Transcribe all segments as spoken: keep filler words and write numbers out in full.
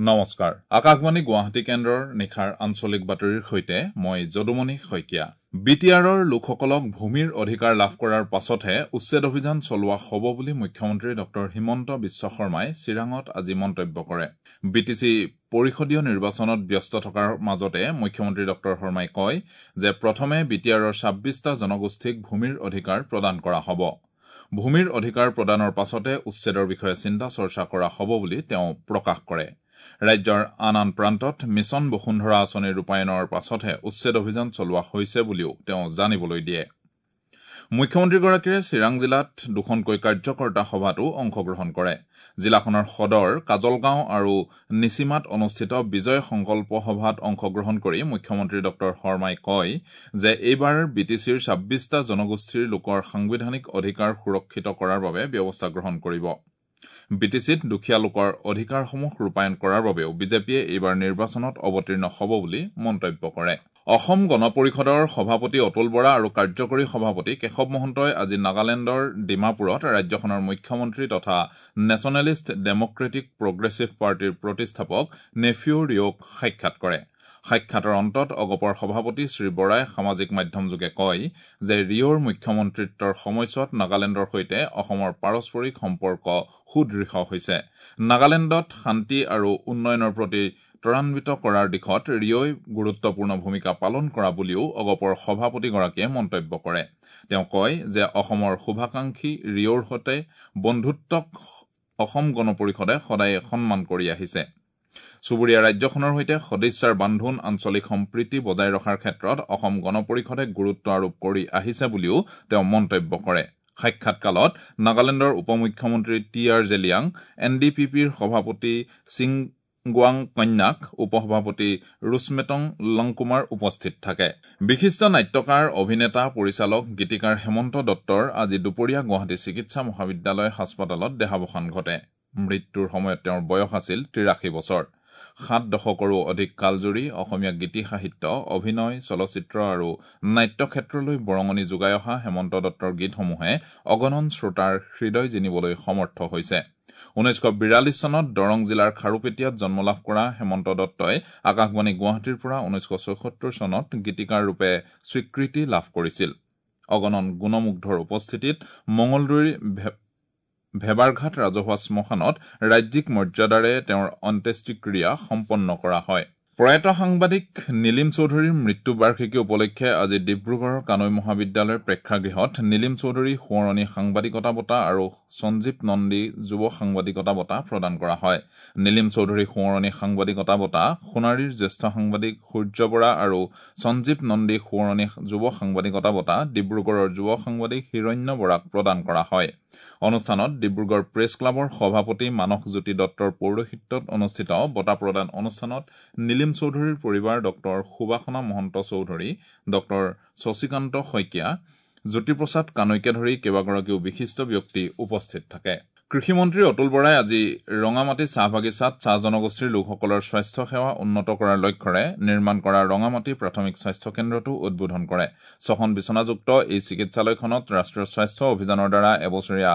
নমস্কাৰ, আকাশবাণী গুৱাহাটী কেন্দ্ৰৰ নিশাৰ আঞ্চলিক বাতৰিৰ সৈতে মই যদুমণি শইকীয়া। বি টি আৰৰ লোকসকলক ভূমিৰ অধিকাৰ লাভ কৰাৰ পাছতহে উচ্ছেদ অভিযান চলোৱা হ'ব বুলি মুখ্যমন্ত্ৰী ডক্টৰ হিমন্ত বিশ্ব শৰ্মাই চিৰাঙত আজি মন্তব্য কৰে। বি টি চি পৰিষদীয় নিৰ্বাচনত ব্যস্ত থকাৰ মাজতে মুখ্যমন্ত্ৰী ডক্টৰ শৰ্মাই কয় যে প্ৰথমে বি টি আৰৰ ছাব্বিছটা জনগোষ্ঠীক ভূমিৰ অধিকাৰ প্ৰদান কৰা হ'ব। ভূমিৰ অধিকাৰ প্ৰদানৰ পাছতে উচ্ছেদৰ বিষয়ে চিন্তা চৰ্চা কৰা হ'ব বুলি তেওঁ প্ৰকাশ কৰে। ৰাজ্যৰ আন আন প্ৰান্তত মিছন বসুন্ধৰা আঁচনি ৰূপায়ণৰ পাছতহে উচ্ছেদ অভিযান চলোৱা হৈছে বুলিও তেওঁ জানিবলৈ দিয়ে। মুখ্যমন্ত্ৰীগৰাকীয়ে চিৰাং জিলাত দুখনকৈ কাৰ্যকৰ্তা সভাতো অংশগ্ৰহণ কৰে। জিলাখনৰ সদৰ কাজলগাঁও আৰু নিচিমাত অনুষ্ঠিত বিজয় সংকল্প সভাত অংশগ্ৰহণ কৰি মুখ্যমন্ত্ৰী ডক্টৰ শৰ্মাই কয় যে এইবাৰ বি টি চিৰ ছাব্বিছটা জনগোষ্ঠীৰ লোকৰ সাংবিধানিক অধিকাৰ সুৰক্ষিত কৰাৰ বাবে ব্যৱস্থা গ্ৰহণ কৰিব। বি টি চিত দুখীয়া লোকৰ অধিকাৰসমূহ ৰূপায়ণ কৰাৰ বাবেও বিজেপিয়ে এইবাৰ নিৰ্বাচনত অৱতীৰ্ণ হ'ব বুলি মন্তব্য কৰে। অসম গণ পৰিষদৰ সভাপতি অতুল বৰা আৰু কাৰ্যকৰী সভাপতি কেশৱ মহন্তই আজি নাগালেণ্ডৰ ডিমাপুৰত ৰাজ্যখনৰ মুখ্যমন্ত্ৰী তথা নেশ্যনেলিষ্ট ডেমক্ৰেটিক প্ৰগ্ৰেছিভ পাৰ্টীৰ প্ৰতিষ্ঠাপক নেফিউ ৰিঅ'ক সাক্ষাৎ কৰে। সাক্ষাতৰ অন্তত অগপৰ সভাপতি শ্ৰী বৰাই সামাজিক মাধ্যমযোগে কয় যে ৰিঅ'ৰ মুখ্যমন্ত্ৰিত্বৰ সময়ছোৱাত নাগালেণ্ডৰ সৈতে অসমৰ পাৰস্পৰিক সম্পৰ্ক সুদৃঢ় হৈছে। নাগালেণ্ডত শান্তি আৰু উন্নয়নৰ প্ৰতি ত্বৰান্বিত কৰাৰ দিশত ৰিঅ'ই গুৰুত্বপূৰ্ণ ভূমিকা পালন কৰা বুলিও অগপৰ সভাপতিগৰাকীয়ে মন্তব্য কৰে। তেওঁ কয় যে অসমৰ শুভাকাংক্ষী ৰিঅ'ৰ সৈতে বন্ধুত্বক অসম গণ পৰিষদে সদায়ে সন্মান কৰি আহিছে। চুবুৰীয়া ৰাজ্যখনৰ সৈতে সদিচ্ছাৰ বান্ধোন, আঞ্চলিক সম্প্ৰীতি বজাই ৰখাৰ ক্ষেত্ৰত অসম গণ পৰিষদে গুৰুত্ব আৰোপ কৰি আহিছে বুলিও তেওঁ মন্তব্য কৰে। সাক্ষাৎকালত নাগালেণ্ডৰ উপ মুখ্যমন্ত্ৰী T R Zeliang, N D P পিৰ সভাপতি চিংগুৱাং কন্যাক, উপসভাপতি ৰুছমেটং লংকুমাৰ উপস্থিত থাকে। বিশিষ্ট নাট্যকাৰ, অভিনেতা, পৰিচালক, গীতিকাৰ হেমন্ত দত্তৰ আজি দুপৰীয়া গুৱাহাটী চিকিৎসা মহাবিদ্যালয় হাস্পতালত দেহাৱসান ঘটে। মৃত্যুৰ সময়ত তেওঁৰ বয়স আছিল তিৰাশী বছৰ। সাত দশকৰো অধিক কালজুৰি অসমীয়া গীতি সাহিত্য, অভিনয়, চলচ্চিত্ৰ আৰু নাট্যক্ষেত্ৰলৈ বৰঙণি যোগাই অহা হেমন্ত দত্তৰ গীতসমূহে অগণন শ্ৰোতাৰ হৃদয় জিনিবলৈ সমৰ্থ হৈছে। ঊনৈছশ বিৰাল্লিছ চনত দৰং জিলাৰ খাৰুপেটীয়াত জন্মলাভ কৰা হেমন্ত দত্তই আকাশবাণী গুৱাহাটীৰ পৰা ঊনৈছশ ছয়সত্তৰ চনত গীতিকাৰ ৰূপে স্বীকৃতি লাভ কৰিছিল। অগণন গুণমুগ্ধৰ উপস্থিতিত মঙলদৈৰ ভেবাৰঘাট ৰাজহুৱা শ্মশানত ৰাজ্যিক মৰ্যাদাৰে তেওঁৰ অন্ত্যেষ্টিক্ৰিয়া সম্পন্ন কৰা হয়। প্ৰয়াত সাংবাদিক নীলিম চৌধুৰীৰ মৃত্যু বাৰ্ষিকী উপলক্ষে আজি ডিব্ৰুগড়ৰ কানৈ মহাবিদ্যালয়ৰ প্ৰেক্ষাগৃহত নীলিম চৌধুৰী সোঁৱৰণী সাংবাদিকতা বঁটা আৰু সঞ্জীৱ নন্দী যুৱ সাংবাদিকতা বঁটা প্ৰদান কৰা হয়। নীলিম চৌধুৰী সোঁৱৰণী সাংবাদিকতা বঁটা সোণাৰীৰ জ্যেষ্ঠ সাংবাদিক সূৰ্য বৰা আৰু সঞ্জীৱ নন্দী সোঁৱৰণী যুৱ সাংবাদিকতা বঁটা ডিব্ৰুগড়ৰ যুৱ সাংবাদিক হিৰণ্য বৰাক প্ৰদান কৰা হয়। অনুষ্ঠানত ডিব্ৰুগড় প্ৰেছ ক্লাবৰ সভাপতি মানস জ্যোতি দত্তৰ পৌৰোহিত্যত অনুষ্ঠিত বঁটা প্ৰদান অনুষ্ঠানত নীলিম চৌধুৰীৰ পৰিবাৰ ডক্টৰ সুবাসনা মহন্ত চৌধুৰী, ডক্টৰ শশীকান্ত শইকীয়া, জ্যোতিপ্ৰসাদ কানৈকে ধৰি কেইবাগৰাকীও বিশিষ্ট ব্যক্তি উপস্থিত থাকে। কৃষিমন্ত্ৰী অতুল বৰাই আজি ৰঙামাটি চাহ বাগিচাত চাহ জনগোষ্ঠীৰ লোকসকলৰ স্বাস্থ্য সেৱা উন্নত কৰাৰ লক্ষ্যৰে নিৰ্মাণ কৰা ৰঙামাটি প্ৰাথমিক স্বাস্থ্য কেন্দ্ৰটো উদ্বোধন কৰে। ছখন বিচনাযুক্ত এই চিকিৎসালয়খনত ৰাষ্ট্ৰীয় স্বাস্থ্য অভিযানৰ দ্বাৰা এবছৰীয়া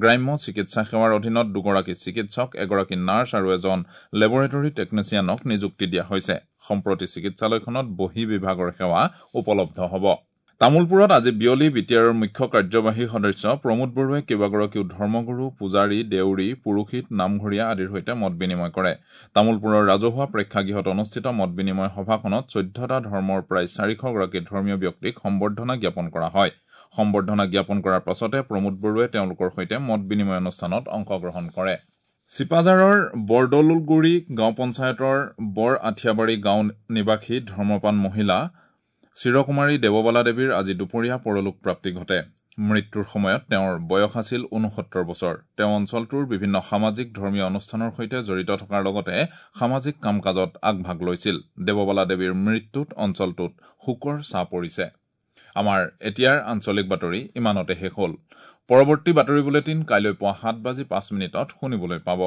গ্ৰাম্য চিকিৎসা সেৱাৰ অধীনত দুগৰাকী চিকিৎসক, এগৰাকী নাৰ্ছ আৰু এজন লেবৰেটৰী টেকনিচিয়ানক নিযুক্তি দিয়া হৈছে। সম্প্ৰতি চিকিৎসালয়খনত বহিঃ বিভাগৰ সেৱা উপলব্ধ হ'ব। তামুলপুৰত আজি বিয়লি বি টি আৰৰ মুখ্য কাৰ্যবাহী সদস্য প্ৰমোদ বৰুৱাই কেইবাগৰাকীও ধৰ্মগুৰু, পূজাৰী, দেউৰী, পুৰোহিত, নামঘৰীয়া আদিৰ সৈতে মত বিনিময় কৰে। তামুলপুৰৰ ৰাজহুৱা প্ৰেক্ষাগৃহত অনুষ্ঠিত মত বিনিময় সভাখনত চৈধ্যটা ধৰ্মৰ প্ৰায় চাৰিশগৰাকী ধৰ্মীয় ব্যক্তিক সম্বৰ্ধনা জ্ঞাপন কৰা হয়। সম্বৰ্ধনা জ্ঞাপন কৰাৰ পাছতে প্ৰমোদ বৰুৱাই তেওঁলোকৰ সৈতে মত বিনিময় অনুষ্ঠানত অংশগ্ৰহণ কৰে। চিপাঝাৰৰ বৰদৌলগুৰি গাঁও পঞ্চায়তৰ বৰ আঠিয়াবাৰী গাঁও নিবাসী ধৰ্মপান মহিলা চিৰকুমাৰী দেৱবালা দেৱীৰ আজি দুপৰীয়া পৰলোক প্ৰাপ্তি ঘটে। মৃত্যুৰ সময়ত তেওঁৰ বয়স আছিল ঊনসত্তৰ বছৰ। তেওঁ অঞ্চলটোৰ বিভিন্ন সামাজিক ধৰ্মীয় অনুষ্ঠানৰ সৈতে জড়িত থকাৰ লগতে সামাজিক কাম কাজত আগভাগ লৈছিল। দেৱবালা দেৱীৰ মৃত্যুত অঞ্চলটোত শোকৰ ছাঁ পৰিছে। আমাৰ এতিয়াৰ আঞ্চলিক বাতৰি ইমানতে শেষ হ'ল। পৰৱৰ্তী বাতৰি বুলেটিন কাইলৈ পুৱা সাত বাজি পাঁচ মিনিটত শুনিবলৈ পাব।